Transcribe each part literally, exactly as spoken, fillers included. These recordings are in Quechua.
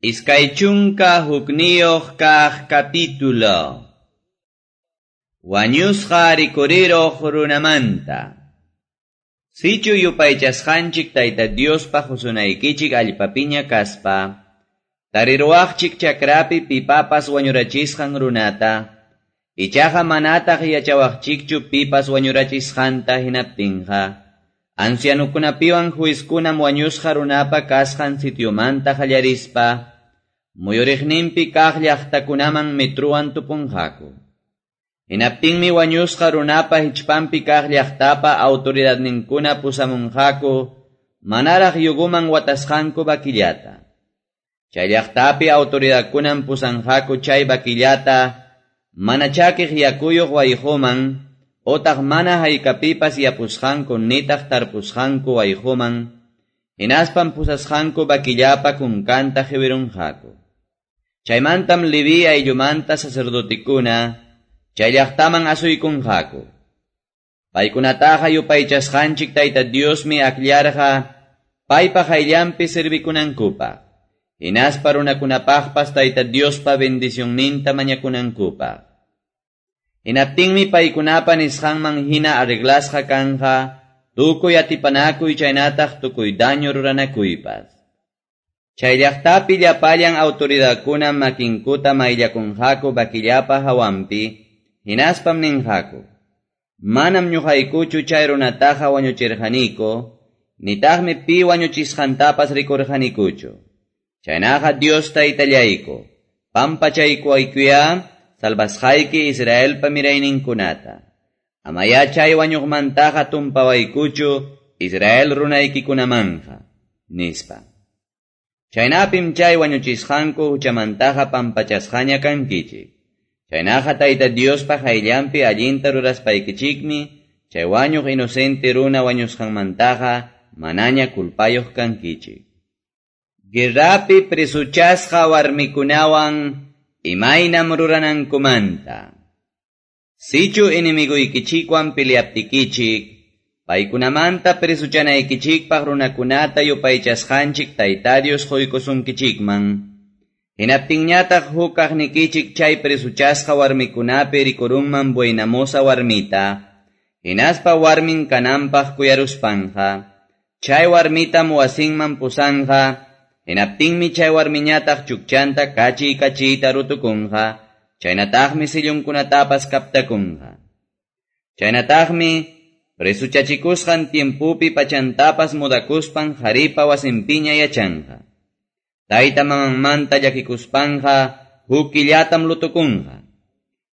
Iskay chunka hukniyuq kaq capítulo. Wañusqa rikuriruq runamanta. Sichu yupaychasqanchik Tayta Diospa qusunaykichik allpapiña kaspa, tariruwaqchik chakrapi pipapas wañurachisqan runata, ichaqa manataq yachawaqchikchu pipas wañurachisqanta hinaptinqa, ancianukunapiwan juizkunam wañusqa runapa kasqan sitiomanta qallarispa, muyuriqninpi kaq llaqtakunaman metruwan tupunqaku. Hinaptinmi wañusqa runapa hichpanpi kaq llaqtapa autoridadninkuna pusamunqaku manaraq yuguman watasqanku vaquillata. Chay llaqtapi autoridadkunan pusanqaku chay vaquillata mana chakiq yakuyuq wayquman otaq mana haykapipas yapusqanku nitaq tarpusqanku wayquman, hinaspan pusasqanku vaquillapa kunkanta qiwirunqaku. Chaymantam Leví ayllumanta sacerdotikuna chay llaqtaman asuykunqaku. Paykunataqa yupaychasqanchik Tayta Diosmi akllarqa paypa qayllanpi servikunankupaq, hinaspa runakunapaqpas Tayta Diospa bendicionninta mañakunankupaq. Hinaptinmi paykunapa nisqanman hina arreglasqa kanja tukuy atipanakuy chaynataq tukuy daño ruranakuypas. Chay llaqtapi llapallan autoridadkuna makinkuta mayllakunqaku vaquillapa hawanpi, hinaspam ninqaku: Manam ñuqaykuchu chay runataqa wañuchirqaniku, nitaqmi pi wañuchisqantapas rikurqanikuchu. Chaynaqa Dios Taytallayku, pampachaykuwaykuyá salvasqayki Israelpa mirayninkunata. Amaya chay wañuqmantaqa tumpawaykuchu Israel runaykikunamanja, nispa. Chaynapim chay wañuchisqanku huchamantaqa pampachasqaña kankichik. Chaynaqa Tayta Diospa qayllanpi allinta ruraspaykichikmi, chay wañuq inocente runa wañusqanmantaqa manaña culpayuq kankichik. Guerrapi presuchasqa warmikunawan imaynam ruranankumanta. Sichu enemiguykichikwan peleaptikichik, paykunamanta presuchanaykichikpaq runakunata yupaychasqanchik Tayta Dios quykusunkichikman, hinaptinñataq huk kaqnikichik chay presuchasqa warmikunapi rikurunman buenamosa warmita, hinaspa warmin kananpaq kuyaruspanqa, chay warmitam wasinman pusanqa, hinaptinmi chay warmiñataq chukchanta kachiy kachiyta rutukunqa, chaynataqmi sillunkunatapas kaptakunqa. Chaynataqmi presuchachikusqan tiempupi pachantapas mudakuspan qharipa wasinpiña yachanqa. Tayta mamanmanta llakikuspanqa huk killatam lutukunqa.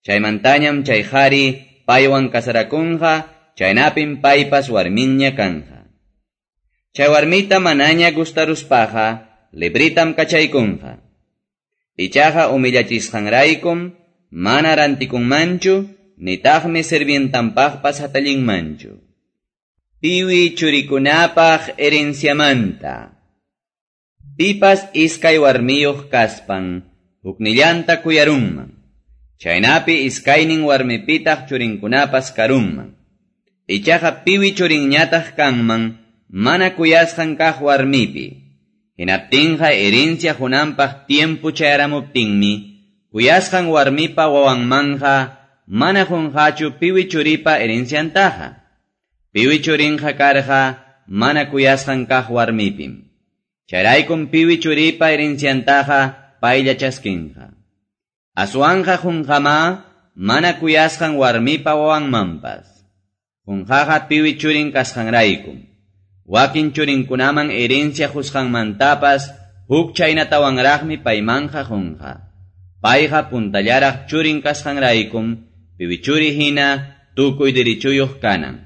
Chaymantañam chay qhari paywan kasarakunqa, chaynapim paypas warminña kanja. Chay warmita manaña gustaruspaqa libritam kachaykunqa. Ichaqa humillachisqanraykum mana rantikunmanchu, nitaqmi sirvientanpaqpas hatallinmanchu. Piwi churikunapaq herenciamanta. Pipas iskay warmiyuq kaspan, huknillanta kuyarunman. Chaynapi iskaynin warmipitaq churinkunapas karunman. Ichaqa piwi churinñataq kanman, mana kuyasqan kaq warmipi. Hinaptinqa herencia qunanpaq tiempo chayaramuptinmi, kuyasqan warmipa wawanmanja mana qunqachu piwi churipa herenciantaqa. Piwi churinqa karqa mana kuyasqan kaq warmipim. Chayraykum piwi churipa herenciantaqa paylla chaskinqa. Aswanqa qunqama mana kuyasqan warmipa wawanmanpas. Qunqaqa piwi churin kasqanraykum. Wakin churinkunaman herencia qusqanmantapas huk chaynatawanraqmi paymanja qunqa. Payqa puntallaraq churin kasqanraykum piwi churi hina tukuy dirichuyuq kanan.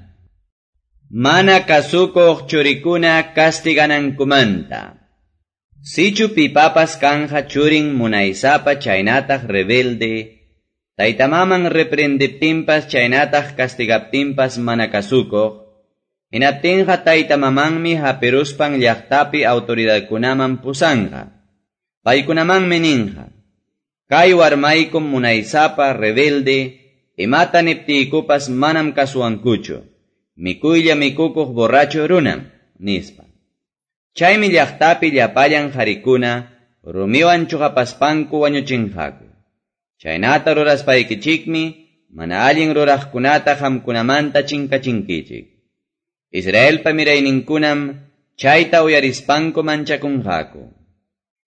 Mana kasukuq churikuna castiganankumanta. Sichu pipapas kanja churin munaysapa chaynataq rebelde, taytamaman reprendiptinpas chaynataq castigaptinpas mana kasukuq, hinaptinqa taytamamanmi hapiruspan llaqtapi autoridadkunaman pusanqa. Paykunamanmi ninqa: Kay warmaykum munaysapa rebelde, imata niptiykupas manam kasuwankuchu, mikuylla mikukuq borracho runam, nispa. Chaymi llaqtapi llapallan qarikuna rumiwan chuqapaspanku wañuchinqaku. Chaynata ruraspaykichikmi mana allin ruraqkunata qamkunamanta chinkachinkichik. Israelpa mirayninkunam chayta uyarispanku manchakunqaku.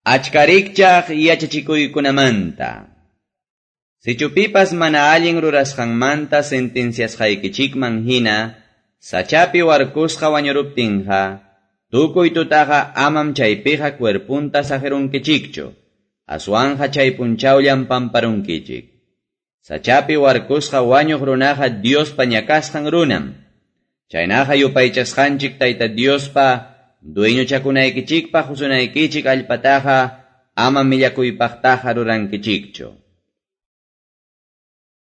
Achka rikchaq yachachikuykunamanta. Sichu pipas mana allin rurasqanmanta sentenciasqaykichikman hina, sachapi warkusqa wañuruptinqa, tukuy tutaqa amam chaypiqa cuerpunta saqirunkichikchu, aswanja chay punchawllam pamparunkichik. Sachapi warkusqa wañuq runaqa Diospa ñakasqan runam. Chaynaqa yupaychasqanchik Tayta Diospa dueñochakunaykichikpaq qusunaykichik allpataqa ama millakuypaqtaqa rurankichikchu.